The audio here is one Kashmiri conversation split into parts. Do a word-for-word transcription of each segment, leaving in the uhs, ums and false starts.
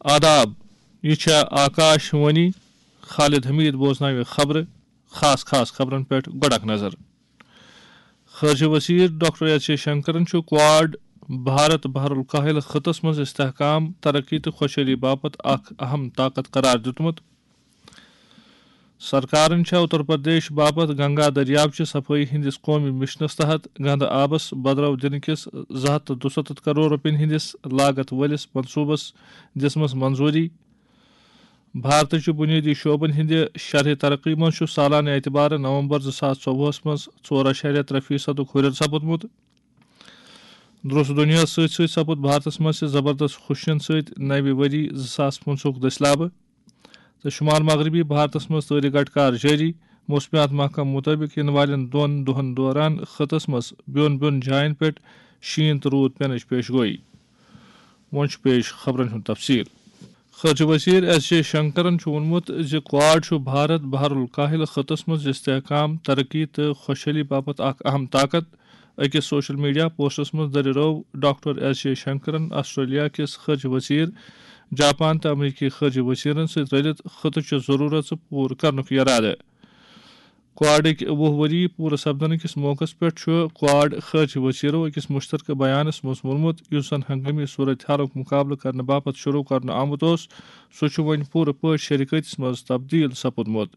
آداب، یہِ چھےٚ آکاش وانی۔ خالد حمید بوزناوِ خبرٕ، خاص خاص خبرن پٮ۪ٹھ گۄڈٕ اکھ نظر۔ خارجہ وزیر ڈاکٹر ایس جے شنکرن چھُ کواڈ بھارت بحر الکاہل خطس منٛز استحکام، ترقی تہٕ خۄشحٲلی باپتھ اکھ اہم طاقت قرار دیُتمُت۔ سرکارن چھےٚ اتر پردیش باپتھ گنگا دٔریاو چہِ صفٲیی ہٕنٛدِس قومی مشنس تحت گنٛدٕ آبس بدرو دِنہٕ کِس زٕ ہتھ تہٕ دُستتھ کرور رۄپین ہٕنٛدِس لاگت وٲلِس منصوبس دِژمٕژ منظوٗری۔ بھارتٕچہِ بُنیٲدی شعبن ہٕنٛدِ شرحہِ ترقی منٛز چھُ سالانہٕ اعتبارٕ نومبر زٕ ساس ژوٚوُہس منٛز ژور اعشاریہ ترٛےٚ فیصدُک ہُرٮ۪ر سپُدمُت۔ درست دُنیاہس سۭتۍ سۭتۍ سپُد بھارتس منٛز تہِ زبردست خوشین سۭتۍ نوِ ؤری زٕ ساس پٕنٛژٕہُک دٔسۍ لابہٕ۔ تہٕ شمال مغربی بھارتس منٛز تٲرِ گٹہٕ کار جٲری۔ موسمیات محکمہٕ مُطٲبِق یِنہٕ والٮ۪ن دۄن دۄہن دوران خطس منٛز بیوٚن بیوٚن جاین پٮ۪ٹھ شیٖن تہٕ روٗد پینٕچ پیش گویی۔ وۄنۍ چھُ پیش خبرن ہُنٛد تفصیل۔ خارجہ وزیر ایس جے شنکرن چھُ ووٚنمُت زِ کواڈ چھُ بھارت بحر الکاہل خطس منٛز استحکام، ترقی تہٕ خۄشحٲلی باپتھ اکھ اہم طاقت۔ أکِس سوشل میڈیا پوسٹس منٛز دٔریرٲو ڈاکٹر ایس جے شنکرن آسٹریلیا کِس خارجہ وزیر، جاپان تہٕ امریکی خارجہ وزیرن سۭتۍ رٔلِتھ خطہٕ چہِ ضروٗرژٕ پوٗرٕ کرنُک یرادٕ۔ کواڈٕکۍ وُہ ؤری پوٗرٕ سپدنہٕ کِس موقعس پٮ۪ٹھ چھُ کواڈ خارجہ وزیرو أکِس مشترکہٕ بیانس منٛز ووٚنمُت، یُس زن ہنگٲمی صورتحالُک مقابلہٕ کرنہٕ باپتھ شروع کرنہٕ آمُت اوس، سُہ چھُ وۄنۍ پوٗرٕ پٲٹھۍ شریکٲتِس منٛز تبدیل سپُدمُت۔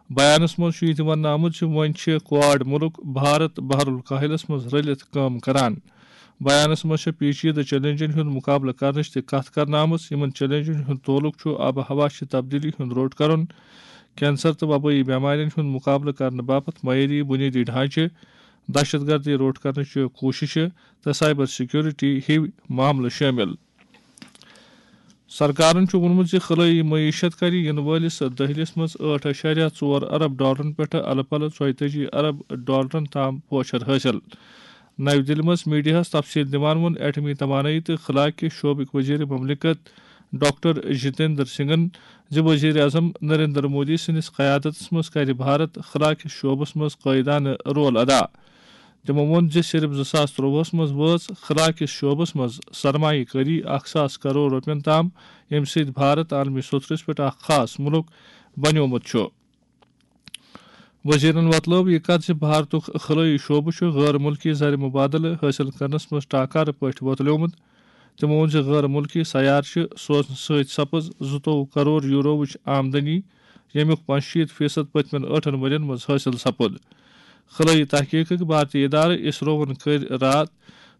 بیانس منٛز چھُ یہِ تہِ وننہٕ آمُت زِ وۄنۍ چھِ کواڈ مُلک بھارت بحر الکاہلس منٛز رٔلِتھ کٲم کران۔ بیانس منٛز چھِ پیچیدٕ چیلنجن ہُنٛد مقابلہٕ کرنٕچ تہِ کتھ کرنہٕ آمٕژ۔ یِمن چیلنجن ہُنٛد تعلق چھُ آب و ہوا چہِ تبدیلی ہُنٛد روٚٹ کرُن، کینسر تہٕ وبٲیی بٮ۪مارٮ۪ن ہُنٛد مقابلہٕ کرنہٕ باپتھ معیٲری بُنیٲدی ڈھانچہٕ، دہشت گردی روٚٹ کرنٕچہِ کوٗششہٕ تہٕ سائبر سیکیورٹی ہِوۍ معاملہٕ شٲمِل۔ سرکارن چھُ ووٚنمُت زِ خلٲیی معیشت کرِ یِنہٕ وٲلِس دٔہلِس منٛز ٲٹھ اعشاریہ ژور ارب ڈالرن پٮ۪ٹھ الہٕ پلہٕ ژۄیتٲجی ارب ڈالرن تام پوچھر حٲصِل۔ نَوِ دِلہِ منٛز میڈیاہَس تفصیٖل دِوان ووٚن ایٹمی توانٲیی تہٕ خلا کہِ شعبٕکۍ وزیر مملکت ڈاکٹر جتیندر سنگھن زِ وزیر اعظم نریندر مودی سٕنٛدِس قیادتس منٛز کرِ بھارت خلا کِس شعبس منٛز قٲیدانہٕ رول ادا۔ تِمو ووٚن زِ صرف زٕ ساس ترٛۆوُہس منٛز وٲژ خلا کِس شعبس منٛز سرمایہ کٲری اکھ ساس کرور رۄپین تام، ییٚمہِ سۭتۍ بھارت عالمی سطحس پٮ۪ٹھ اکھ خاص مُلک بنیومُت چھُ۔ وزیرن وۄتلٲو یہِ کتھ زِ بھارتُک خلٲیی شعبہٕ چھُ غٲر مُلکی زر مبادلہٕ حٲصِل کرنس منٛز ٹاکارٕ پٲٹھۍ وۄتلیومُت۔ تِمو ووٚن زِ غٲر مُلکی سیارٕ چھِ سوزنہٕ سۭتۍ سپٕز زٕتووُہ کرور یورووٕچ آمدنی، ییٚمیُک پانٛژشیٖتھ فیصد پٔتمٮ۪ن ٲٹھن ؤرین منٛز حٲصِل سپُد۔ خلٲیی تحقیقٕکۍ بھارتی ادارٕ اسرووَن کٔرۍ راتھ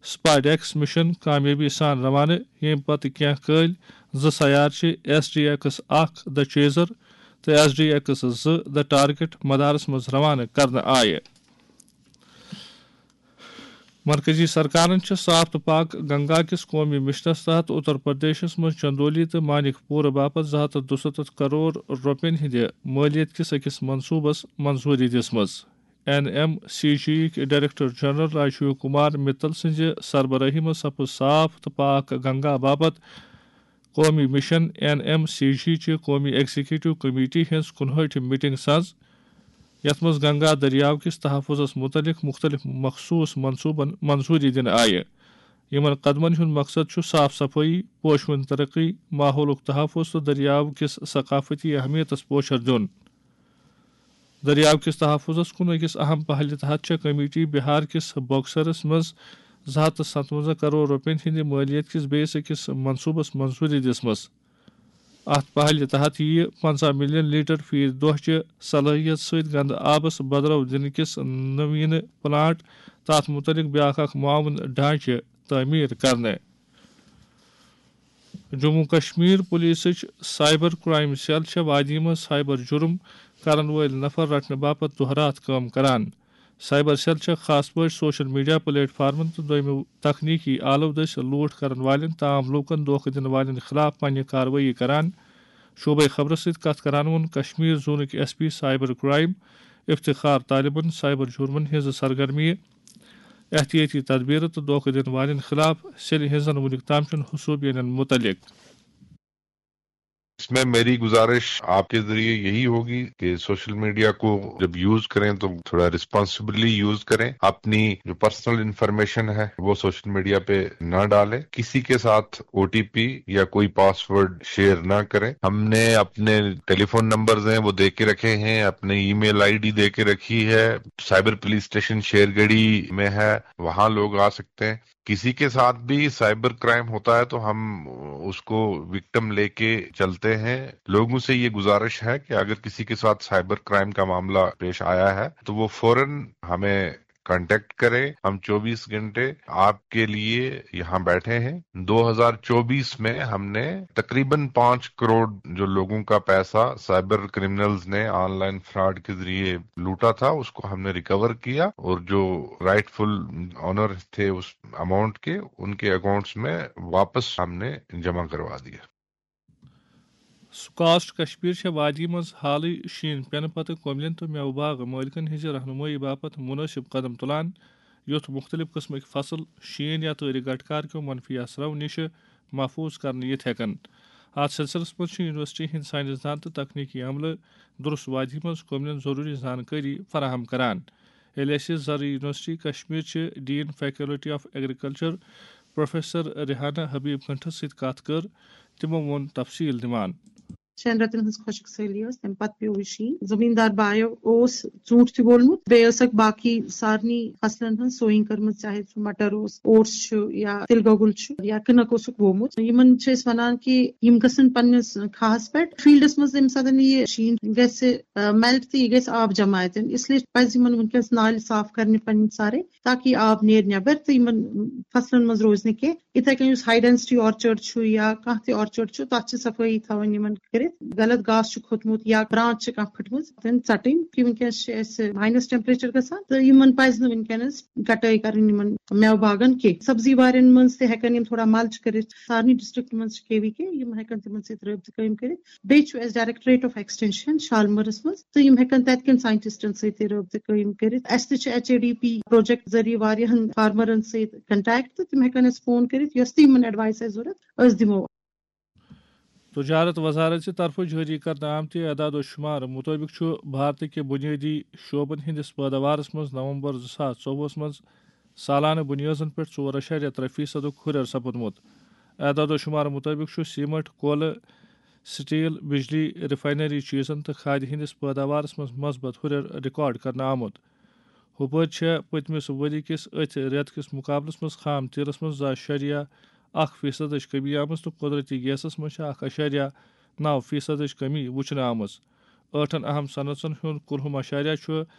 سپاڈیکس مشن کامیٲبی سان روانہٕ، ییٚمہِ پتہٕ کینٛہہ کٲلۍ زٕ سیارٕ چھِ ایس ڈی ایکس اکھ، The Chaser، تہٕ ایس ڈی ایکس زٕ، The Target، مدارس منٛز روانہٕ کرنہٕ آیہِ۔ مرکزی سرکارن چھِ صاف تہٕ پاک گنگا کِس قومی مشنس تحت اتر پردیشس منٛز چندولی تہٕ مانک پورہ باپتھ زٕ ہتھ تہٕ دُستتھ کرور رۄپین ہٕنٛدِ مٲلیت کِس أکِس منصوبس منظوٗری دِژمٕژ۔ این ایم سی جی یِکۍ ڈائریکٹر جنرل راجیو کمار متل سٕنٛزِ سربرٲہی منٛز سپُز صاف تہٕ پاک گنگا باپتھ قومی مشن، این ایم سی جی، چہِ قومی ایگزیکٹو کمیٹی ہٕنٛز کُنہٲٹھم میٹنگ ساز، یتھ منٛز گنگا دٔریاو کِس تحفظس مُتعلق مُختٔلِف مخصوٗص منصوٗبن منظوٗری دِنہٕ آیہِ۔ یِمن قدمن ہُنٛد مقصد چھُ صاف صفٲیی، پوشہٕ وٕنۍ ترقی، ماحولُک تحفظ تہٕ دٔریاو کِس ثقافتی اہمیتس پوچھر دیُن۔ دٔریاو کِس تحفظس کُن أکِس اہم پہلہِ تحت چھےٚ کمیٹی بہار کِس بکسرس منٛز زٕ ہتھ تہٕ ستوَنزاہ کرور رۄپین ہٕنٛدِ مٲلیت کِس بیٚیِس أکِس منصوٗبس منظوٗری دِژمٕژ۔ اَتھ پہلہِ تحت یِیہِ پنٛژاہ ملین لیٹر فی دۄہ چہِ صلٲحیت سۭتۍ گنٛدٕ آبس بدرو دِنہٕ کِس نویٖنہٕ پلانٹ تہٕ اَتھ مُتعلق بیٛاکھ اکھ معاون ڈھانچہٕ تعمیٖر کرنہٕ۔ جموں کشمیر پولیسٕچ سائبر کرائم سیل چھےٚ وادی منٛز سائبر جرم کرن وٲلۍ نفر رٹنہٕ باپتھ دۄہ راتھ کٲم کران۔ سائبر سیل چھےٚ خاص پٲٹھۍ سوشل میڈیا پلیٹ فارمن تہٕ دوٚیمہِ تکنیکی آلو دٔسۍ لوٗٹھ کرن والٮ۪ن تہٕ عام لوٗکن دھوکہٕ دِنہٕ والٮ۪ن خلاف پننہِ کاروٲیی کران۔ شعبے خبرس سۭتۍ کتھ کران ووٚن کشمیر زونٕکۍ S P cyber crime Iftikhar طالبن سائبر جرمن ہٕنٛزٕ سرگرمیہِ، احتیاطی تدبیرٕ تہٕ دھوکہٕ دِنہٕ والٮ۪ن خلاف سیلہِ ہٕنٛزن وُنیُک تام چٮ۪ن حسوبینن مُتعلق۔ میں میری گزارش آپ کے ذریعے یہی ہوگی کہ سوشل میڈیا کو جب یوز کریں تو تھوڑا ریسپانسبلی یوز کریں، اپنی جو پرسنل انفارمیشن ہے وہ سوشل میڈیا پہ نہ ڈالیں، کسی کے ساتھ او ٹی پی یا کوئی پاسورڈ شیئر نہ کریں۔ ہم نے اپنے ٹیلی فون نمبرز ہیں وہ دے کے رکھے ہیں، اپنے ای میل آئی ڈی دے کے رکھی ہے، سائبر پولیس اسٹیشن شیرگڑھی میں ہے، وہاں لوگ آ سکتے ہیں۔ کسی کے ساتھ بھی سائبر کرائم ہوتا ہے تو ہم اس کو وکٹم لے کے چلتے ہیں۔ لوگوں سے یہ گزارش ہے کہ اگر کسی کے ساتھ سائبر کرائم کا معاملہ پیش آیا ہے تو وہ فوراً ہمیں کانٹیکٹ کریں۔ ہم چوبیس گھنٹے آپ کے لیے یہاں بیٹھے ہیں۔ دو ہزار چوبیس میں ہم نے تقریباً پانچ کروڑ جو لوگوں کا پیسہ سائبر کرمنلز نے آن لائن فراڈ کے ذریعے لوٹا تھا، اس کو ہم نے ریکور کیا اور جو رائٹ فل اونر تھے اس اماؤنٹ کے، ان کے اکاؤنٹس میں واپس ہم نے جمع کروا دیا۔ سکاسٹ کشمیر چھےٚ وادی منٛز حالٕے شیٖن پٮ۪نہٕ پتہٕ کوملین تہٕ مٮ۪وٕ باغ مٲلکن ہٕنٛزِ رہنمٲیی باپتھ مُنٲسِب قدم تُلان، یُتھ مُختٔلِف قٕسمٕکۍ فصل شیٖن یا تۭرِ گٹکار کیو منفی اثرو نِشہِ محفوٗظ کرنہٕ یِتھ ہٮ۪کن۔ اتھ سلسلس منٛز چھِ یونیورسٹی ہٕنٛدۍ ساینس دان تہٕ تکنیکی عملہٕ درست وادی منٛز کوملین ضروٗری زانکٲری فراہم کران۔ ییٚلہِ اَسہِ زرعی یونیورسٹی کشمیر چہِ dean faculty of agriculture professor Rehana Habib گنٹھس سۭتۍ کتھ کٔر، تِمو ووٚن تفصیل دِوان۔ شٮ۪ن رٮ۪تن ہٕنٛز خۄشک سٲلی ٲس، تَمہِ پتہٕ پیوٚو یہِ شیٖن۔ زٔمیٖندار بایو اوس ژوٗنٛٹھۍ تہِ وولمُت، بیٚیہِ ٲسکھ باقٕے سارنٕے فصلن ہٕنٛز سوئنگ کٔرمٕژ، چاہے سُہ مٹر اوس، اوٹس چھُ یا تِلہٕ گۄگُل چھُ یا کٕنک اوسُکھ وومُت۔ یِمن چھِ أسۍ وَنان کہِ یِم گژھن پننِس کھاہَس پٮ۪ٹھ، فیلڈس منٛز ییٚمہِ ساتہٕ یہِ شیٖن گژھِ میلٹ تہٕ یہِ گژھِ آب جمع اَتٮ۪ن، اس لیے پَزِ یِمن وٕنکیٚس نالہِ صاف کرنہِ پنٕنۍ سارے، تاکہِ یہِ آب نیرِ نٮ۪بر تہٕ یِمن فصلن منٛز روزِ نہٕ کینٛہہ۔ یِتھے کٔنۍ یُس ہاے ڈینسٹی آرچرڈ چھُ یا کانٛہہ تہِ آرچرڈ چھُ، تَتھ چھِ صفٲیی تھاوٕنۍ یِمن کٔرِتھ۔ غلط گاسہٕ چھُ کھوٚتمُت یا برانچ چھِ کانٛہہ پھٕٹمٕژ، تِم ژَٹٕنۍ۔ کہِ وٕنکیٚنَس چھِ اَسہِ ماینس ٹیمپریچر گژھان تہٕ یِمن پَزِ نہٕ وٕنکیٚنَس کٹٲے کَرٕنۍ یِمن مٮ۪وٕ باغن کینٛہہ۔ سبزی وارٮ۪ن منٛز تہِ ہٮ۪کن یِم تھوڑا ملچ کٔرِتھ۔ سارنٕے ڈسٹرکٹ منٛز چھِ کے وی کے، یِم ہٮ۪کن تِمن سۭتۍ رٲبطہٕ قٲیِم کٔرِتھ۔ بیٚیہِ چھُ اَسہِ ڈائریکٹوریٹ آف ایکسٹینشن شالمٲرِس منٛز تہٕ یِم ہٮ۪کن تَتہِ کٮ۪ن ساینٹسٹن سۭتۍ تہِ رٲبطہٕ قٲیِم کٔرِتھ۔ اَسہِ تہِ چھِ H A D P project ذٔریعہٕ واریاہن فارمرن سۭتۍ کنٹیکٹ تہٕ تِم ہٮ۪کن اَسہِ فون کٔرِتھ، یۄس تہِ یِمن ایڈوایس آسہِ ضوٚرتھ، أسۍ دِمو۔ تجارت وزارت چہِ طرفہٕ جٲری کرنہٕ آمتہِ اعداد و شمار مُطٲبِق چھُ بھارتہٕ کہِ بُنیٲدی شعبن ہٕنٛدِس پٲداوارس منٛز نومبر زٕ ساس ژوٚوُہس منٛز سالانہٕ بُنیٲدن پٮ۪ٹھ ژور اَشاریہ ترٛےٚ فیصدُک ہُرٮ۪ر سپُدمُت۔ اعداد و شمار مُطٲبِق چھُ سیمنٹ، کولہٕ، سٹیل، بجلی، ریفائنری چیزن تہٕ کھادِ ہٕنٛدِس پٲداوارس منٛز مثبت ہُرٮ۪ر ریکارڈ کرنہٕ آمُت۔ ہُپٲرۍ چھےٚ پٔتمِس ؤری کِس أتھۍ رٮ۪تہٕ کِس مُقابلس منٛز خام تیٖلس منٛز زٕ اَشاریہ اکھ فیصدٕچ کمی آمٕژ تہٕ قۄدرٔتی گیسَس منٛز چھِ اکھ اَشاریہ نَو فیصدٕچ کمی وُچھنہٕ آمٕژ۔ ٲٹھن اَہَم صنعژن ہُنٛد کُلہُم اَشاریہ چھُ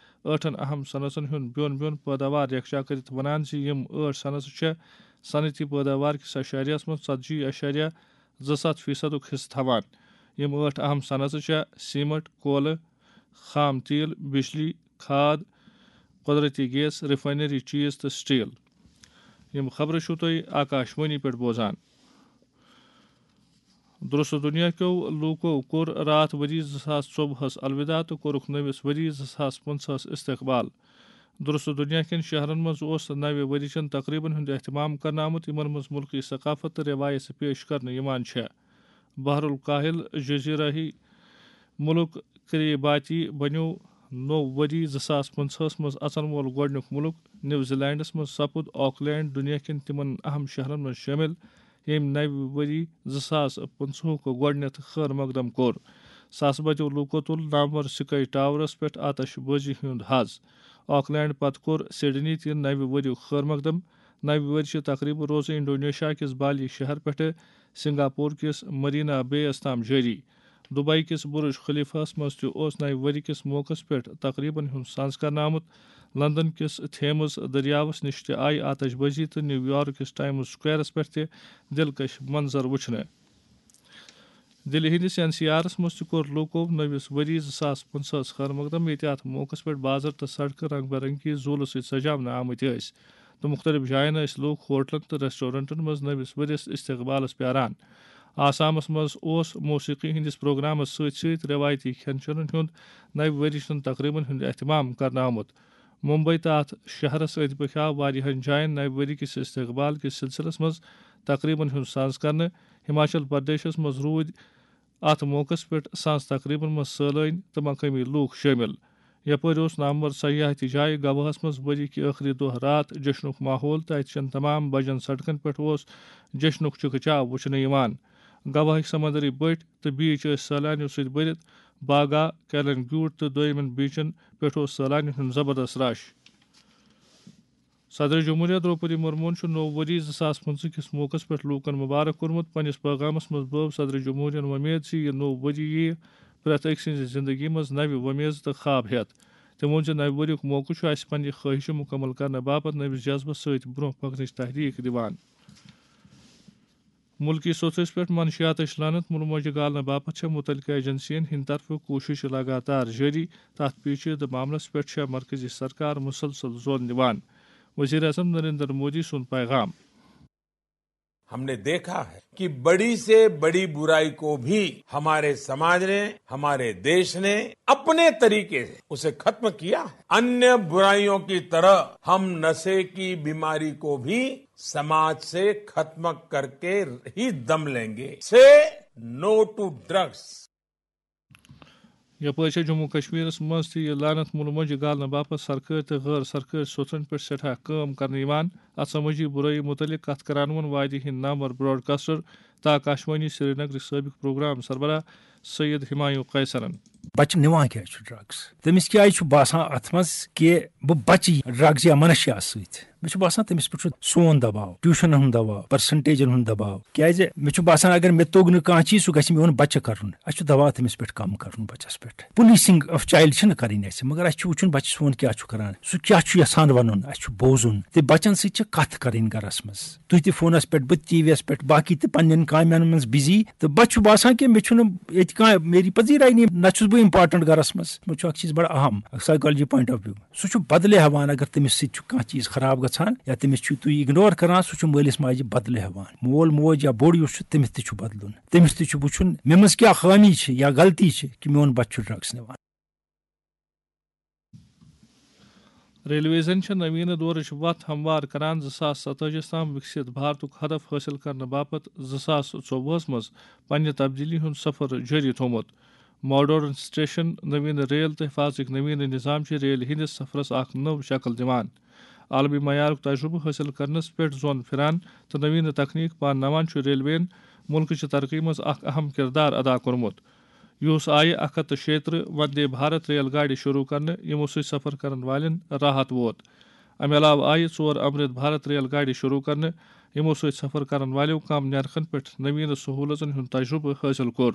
ٲٹھن اَہَم صنعژن ہُنٛد بیوٚن بیوٚن پٲداوار یکجا کٔرِتھ وَنان زِ یِم ٲٹھ صنعژٕ چھےٚ صنعتی پٲداوار کِس اَشاریَس منٛز ژتجی اَشاریہ زٕ ستھ فیصدُک حصہٕ تھاوان۔ یِم ٲٹھ اَہَم صنعژٕ چھےٚ سیمنٹ، کولہٕ، خام تیٖل، بجلی، کھاد، قۄدرٔتی گیس، ریفائنری چیز تہٕ سٹیل۔ یِم خبرٕ چھِو تُہۍ آکاش وانی پٮ۪ٹھ بوزان۔ درست دُنیا کیو لوٗکو کوٚر راتھ ؤری زٕ ساس ژوٚوُہس الوداع تہٕ کوٚرُکھ نٔوِس ؤری زٕ ساس پٕنٛژٕہس استقبال۔ درست دُنیا کٮ۪ن شہرن منٛز اوس نوِ ؤری چٮ۪ن تقریبن ہُنٛد اہتمام کرنہٕ آمُت، یِمن منٛز مُلکی ثقافت تہٕ رٮ۪وایژٕ پیش کرنہٕ یِوان چھےٚ۔ بحر الکاہل جزیرٲہی مُلک کریباتی بنیو نوٚو ؤری زٕ ساس پٕنٛژٕہس منٛز اژن وول گۄڈٕنیُک مُلک۔ نیوزی لینڈس منٛز سپُد آکلینڈ دُنیا کٮ۪ن تِمن اہم شہرن منٛز شٲمِل، ییٚمۍ نوِ ؤری زٕ ساس پٕنٛژٕہُک گۄڈٕنیتھ خٲر مقدم کوٚر۔ ساسہٕ بٔدیو لوٗکو تُل نامور سکائی ٹاورس پٮ۪ٹھ آتش بٲزی ہُنٛد حظ۔ آکلینڈ پتہٕ کوٚر سڈنی تہِ نوِ ؤریُک خٲر مقدم۔ نوِ ؤرۍ چہِ تقریبہٕ روزٕ انڈونیشیا کِس بالی شہر پٮ۪ٹھٕ سنگاپور کِس مرینا بے یَس تام جٲری۔ دبئی کِس برج خلیفہ ہَس منٛز تہِ اوس نوِ ؤری کِس موقعس پٮ۪ٹھ تقریبن ہُنٛد ساز کرنہٕ آمُت۔ لندن کِس تھیمز دٔریاوَس نِش تہِ آیہِ آتش بٲزی تہٕ نیو یارک کِس ٹائمز سکویرَس پٮ۪ٹھ تہِ دلکش منظر وُچھنہٕ۔ دِلہِ ہٕنٛدِس این سی آرَس منٛز تہِ کوٚر لوٗکو نٔوِس ؤریَس زٕ ساس پٕنٛژٕہَس خٲر مقدم، ییٚتہِ اَتھ موقعَس پٮ۪ٹھ بازر تہٕ سڑکہٕ رنگ برنگی زوٗلہٕ سۭتۍ سجاونہٕ آمٕتۍ ٲسۍ تہٕ مُختٔلِف جایَن ٲسۍ لوٗکھ ہوٹلَن تہٕ ریسٹورنٹَن منٛز نٔوِس ؤریَس استقبالَس پیاران۔ آسامَس منٛز اوس موسیقی ہٕنٛدِس پروگرامَس سۭتۍ سۭتۍ رٮ۪وایتی کھٮ۪ن چٮ۪نَن ہُنٛد نَوِ ؤریہِ ہُنٛد تقریبن ہُنٛد اہتمام کرنہٕ آمُت۔ ممبئی تہٕ اَتھ شہرَس أنٛدۍ پٔکھۍ آو واریاہَن جایَن نَوِ ؤری کِس استقبال کِس سلسلس منٛز تقریبن ہُنٛد ساز کرنہٕ۔ ہماچل پردیشَس منٛز روٗدۍ اتھ موقعس پٮ۪ٹھ سانس تقریبن منٛز سٲلٲنۍ تہٕ مقٲمی لوٗکھ شٲمِل۔ یپٲرۍ اوس نامور سیاحتی جایہِ گواہس منٛز ؤری کہِ ٲخری دۄہ راتھ جشنُک ماحول تہٕ اتہِ چٮ۪ن تمام بجن سڑکن پٮ۪ٹھ اوس جشنُک چکہ چاو وُچھنہٕ یِوان۔ گواہٕکۍ سمندری بٔٹھۍ تہٕ بیٖچ ٲسۍ سٲلانیو سۭتۍ بٔرِتھ۔ باگا، کیلن گیوٹ تہٕ دویمٮ۪ن بیٖچن پٮ۪ٹھ اوس سٲلانین ہُنٛد زبردست رش۔ صدر جمہوریہ درٛوپدی مرموہن چھُ نوٚو ؤری زٕ ساس پٕنٛژٕہ کِس موقعس پٮ۪ٹھ لوٗکن مبارک کوٚرمُت۔ پننِس پٲغامس منٛز بٲو صدر جمہوریہن وۄمید زِ یہِ نوٚو ؤری یِیہِ پرٛٮ۪تھ أکۍ سٕنٛزِ زندگی منٛز نوِ وۄمیژٕ تہٕ خواب ہٮ۪تھ۔ تٔمۍ ووٚن زِ نوِ ؤریُک موقعہٕ چھُ اَسہِ پننہِ خٲہشہٕ مُکمل کرنہٕ باپتھ نٔوِس جذبس سۭتۍ برٛونٛہہ پکنٕچ تحریک دِوان۔ مُلکی سوٚژھس پٮ۪ٹھ منشیاتٕچ لعنت مُلموجہِ گالنہٕ باپتھ چھےٚ مُتعلقہٕ ایجنسین ہٕنٛدِ طرفہٕ کوٗشش لگاتار جٲری۔ تَتھ پیچیدٕ معاملس پٮ۪ٹھ چھےٚ مرکزی سرکار مُسلسل زور دِوان۔ وزیر اعظم نریندر مودی سُنٛد پیغام۔ हमने देखा है कि बड़ी से बड़ी बुराई को भी हमारे समाज ने, हमारे देश ने अपने तरीके से उसे खत्म किया है। अन्य बुराइयों की तरह हम नशे की बीमारी को भी समाज से खत्म करके ही दम लेंगे। से नो टू ड्रग्स। یپٲرۍ چھےٚ جموں کشمیرس منٛز تہِ یہِ لعنت مُلہٕ مۄنجہِ گالنہٕ باپتھ سرکٲرۍ تہٕ غٲر سرکٲرۍ سوٚژن پٮ۪ٹھ سٮ۪ٹھاہ کٲم کرنہٕ یِوان۔ اتھ سمٲجی بُرٲیی مُتعلق کتھ کران ووٚن وادی ہٕنٛدۍ نامور براڈکاسٹر تہٕ آکاشوانی سرینگرٕکۍ سٲبق پروگرام سربراہ سید ہمایوں قیصرن۔ بچہِ نِوان کیٛازِ چھُ ڈرگس؟ تٔمِس کیٛازِ چھُ باسان اتھ منٛز کہِ بہٕ بچہِ ڈرگس یا منشیاہس سۭتۍ؟ مےٚ چھُ باسان تٔمِس پٮ۪ٹھ چھُ سون دباو، ٹیوٗشنن ہُنٛد دباو، پرسنٹیجن ہُنٛد دباو۔ کیٛازِ مےٚ چھُ باسان اگر مےٚ توٚگ نہٕ کانٛہہ چیٖز، سُہ گژھِ میون بچہِ کرُن۔ اَسہِ چھُ دباو تٔمِس پٮ۪ٹھ کم کرُن، بچس پٮ۪ٹھ۔ پُلیٖسِنگ آف چایلڈ چھِنہٕ کرٕنۍ اَسہِ، مگر اَسہِ چھُ وٕچھُن بچہِ سون کیٛاہ چھُ کران، سُہ کیٛاہ چھُ یژھان ونُن، اَسہِ چھُ بوزُن۔ تہٕ بچن سۭتۍ چھِ کتھ کرٕنۍ گرس منٛز۔ تُہۍ تہِ فونس پٮ۪ٹھ، بہٕ تہِ ٹی وی یس پٮ۪ٹھ، باقی تہِ پننٮ۪ن کامٮ۪ن منٛز بِزی۔ تہٕ بچہِ چھُ باسان کہِ مےٚ چھُنہٕ ییٚتہِ کانٛہہ میری پذیٖراے نہیں، نہ چھُس بہٕ امپارٹنٹ گرس منٛز۔ مےٚ چھُ اکھ چیٖز بڑٕ اہم، اکھ سایکالجی پوینٹ آف ویو۔ سُہ چھُ بدلہٕ ہٮ۪وان اگر تٔمِس سۭتۍ چھُ کانٛہہ چیٖز خراب گژھان یا تٔمِس چھُ تُہۍ اِگنور کران، سُہ چھُ مٲلِس ماجہِ بدلہٕ ہٮ۪وان۔ مول موج یا بوٚڑ یُس چھُ، تٔمِس تہِ چھُ بدلُن۔ تٔمِس تہِ چھُ وٕچھُن مےٚ منٛز کیٛاہ خٲمی چھِ یا غلطی چھِ کہِ میون بچہِ چھُ ڈرگس نِوان۔ ریلویزن چھےٚ نوینہٕ دورٕچ وتھ ہموار کران زٕ ساس ستٲجیس تام وِکسِت بھارتُک ہدف حٲصِل کرنہٕ باپتھ زٕ ساس ژوٚوُہس منٛز پننہِ تبدیلی ہُنٛد سفر جٲری تھوٚومُت۔ ماڈرن سٹیشن، نوینہٕ ریل تہٕ حفاظتٕکۍ نوینہٕ نظام چھِ ریلہِ ہٕنٛدِس سفرس اکھ نٔو شکل دِوان۔ عالمی معیارُک تجربہٕ حٲصِل کرنس پٮ۪ٹھ زون پھران تہٕ نوینہٕ تکنیک پانناوان چھُ ریلوین مُلکٕچہِ ترقی منٛز اکھ اہم کردار ادا کوٚرمُت۔ یُہُس آیہِ اکھ ہتھ تہٕ شیٚیہِ ترٕہ وندے بھارت ریل گاڑِ شروع کرنہٕ، یِمو سۭتۍ سفر کرن والٮ۪ن راحت ووت۔ امہِ علاوٕ آیہِ ژور امرت بھارت ریل گاڑِ شروع کرنہٕ، یِمو سۭتۍ سفر کرن والٮ۪و کم نیرخن پٮ۪ٹھ نوینہٕ سہولژن ہُنٛد تجربہٕ حٲصِل کوٚر۔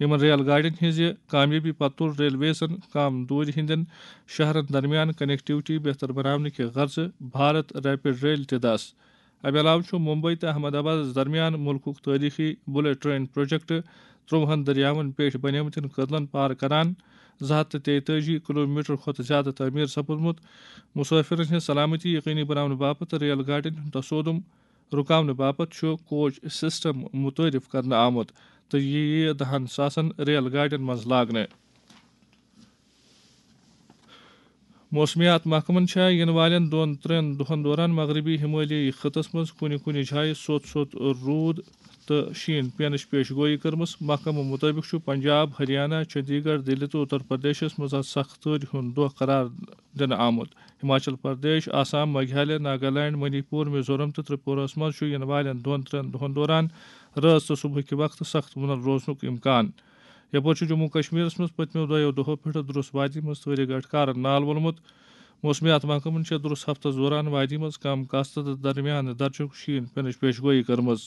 یِمن ریل گاڑٮ۪ن ہٕنٛزِ کامیٲبی پتہٕ تُل ریلویزن کم دوٗرِ ہٕنٛدٮ۪ن شہرن درمیان کنیکٹیوٹی بہتر بناونہٕ کہِ غرضہٕ بھارت ریپڈ ریل تہِ دس۔ امہِ علاوٕ چھُ ممبئی تہٕ احمد آبادس درمیان مُلکُک تٲریخی بلیٹ ٹرین پروجیکٹ ترٛوہن دٔریاوَن پٮ۪ٹھ بنیمتٮ۪ن کٔدلن پار کران۔ زٕ ہتھ تہٕ تیتٲجی کلومیٹر کھۄتہٕ زیادٕ تعمیٖر سپُدمُت۔ مسافرن ہٕنٛز سلامتی یقینی بناونہٕ باپتھ ریل گاڑٮ۪ن ہُنٛد تصودم رُکاونہٕ باپتھ چھُ کوچ سسٹم متعارف کرنہٕ آمُت تہٕ یہِ یِیہِ دَہن ساسن ریل گاڑٮ۪ن منٛز لاگنہٕ۔ موسمیات محکمن چھےٚ یِنہٕ والٮ۪ن دۄن ترٛٮ۪ن دۄہن دوران مغربی ہمالیٲیی خطس منٛز کُنہِ کُنہِ جایہِ سوٚت سوٚت روٗد تہٕ شیٖن پینٕچ پیش گویی کٔرمٕژ۔ محکمہٕ مُطٲبِق چھُ پنجاب، ہریانہ، چندی گڑھ، دِلہِ تہٕ اُتر پردیشس منٛز اَز سخت تۭرِ ہُنٛد دۄہ قرار دِنہٕ آمُت۔ ہماچل پردیش، آسام، میگھالیہ، ناگالینڈ، منی پور، میزورم تہٕ ترپوراہس منٛز چھُ یِنہٕ والٮ۪ن دۄن ترٛٮ۪ن دۄہن دوران رٲژ تہٕ صبحٕکہِ وقتہٕ سخت وُنر روزنُک امکان۔ یپٲرۍ چھُ جموں کشمیرس منٛز پٔتمیو دۄیو دۄہو پٮ۪ٹھٕ درُس وادی منٛز تۭرِ گٹھ کارن نال وولمُت۔ موسمیات محکمن چھےٚ درُس ہفتس دوران وادی منٛز کم کاستہٕ تہٕ درمیانہٕ درجُک شیٖن پینٕچ پیش گویی کٔرمٕژ۔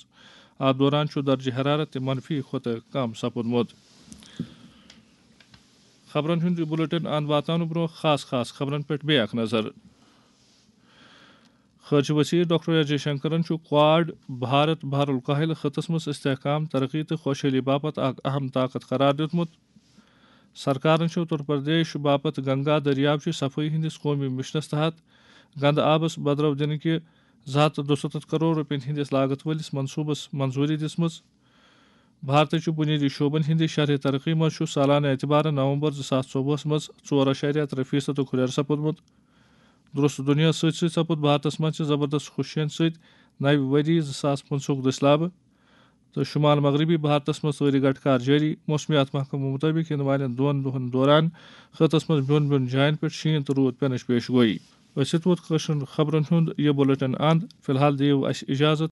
اتھ دوران چھُ درجہ حرارت تہِ منفی کھۄتہٕ کم سپُدمُت۔ خبرن ہُنٛد یہِ بُلٹن اند واتناونہٕ برٛونٛہہ خاص خاص خبرن پٮ۪ٹھ بیٚیہِ اکھ نظر۔ خارجہ وزیر ڈاکٹر ایس جے شنکرن چھُ کواڈ بھارت بحر الکاہل خطس منٛز استحکام، ترقی تہٕ خۄشحٲلی باپتھ اکھ اہم طاقت قرار دیُتمُت۔ سرکارن چھُ اتر پردیش باپتھ گنگا دٔریاو چہِ صفٲیی ہٕنٛدِس قومی مشنس تحت گندٕ آبس بدرو دِنہٕ کہِ زٕ ہتھ تہٕ دُستتھ کرور رۄپین ہٕنٛدِس لاگت وٲلِس منصوبس منظوٗری دِژمٕژ۔ بھارتٕچہِ بُنیٲدی شعبن ہٕنٛدِ شرحہِ ترقی منٛز چھُ سالانہٕ اعتبارٕ نومبر زٕ ساس ژوٚوُہس منٛز ژور اعشاریہ ترٛےٚ فیصدُک ہُرٮ۪ر سپُدمُت۔ درست دُنیاہس سۭتۍ سۭتۍ سپُد بھارتس منٛز تہِ زبردست خوشین سۭتۍ نوِ ؤری زٕ ساس پٕنٛژٕہُک دٔسۍ لابہٕ۔ تہٕ شمال مغربی بھارتس منٛز سٲری گٹہٕ کار جٲری۔ موسمیات محکمہٕ مُطٲبِق یِنہٕ والٮ۪ن دۄن دۄہن دوران خطس منٛز بیوٚن بیوٚن جاین پٮ۪ٹھ شیٖن تہٕ روٗد پٮ۪نٕچ پیش گویی۔ أسۍ یِتھ ووت کٲشرٮ۪ن خبرن ہُنٛد یہِ بُلٹن اند۔ فی الحال دِیِو اَسہِ اجازت،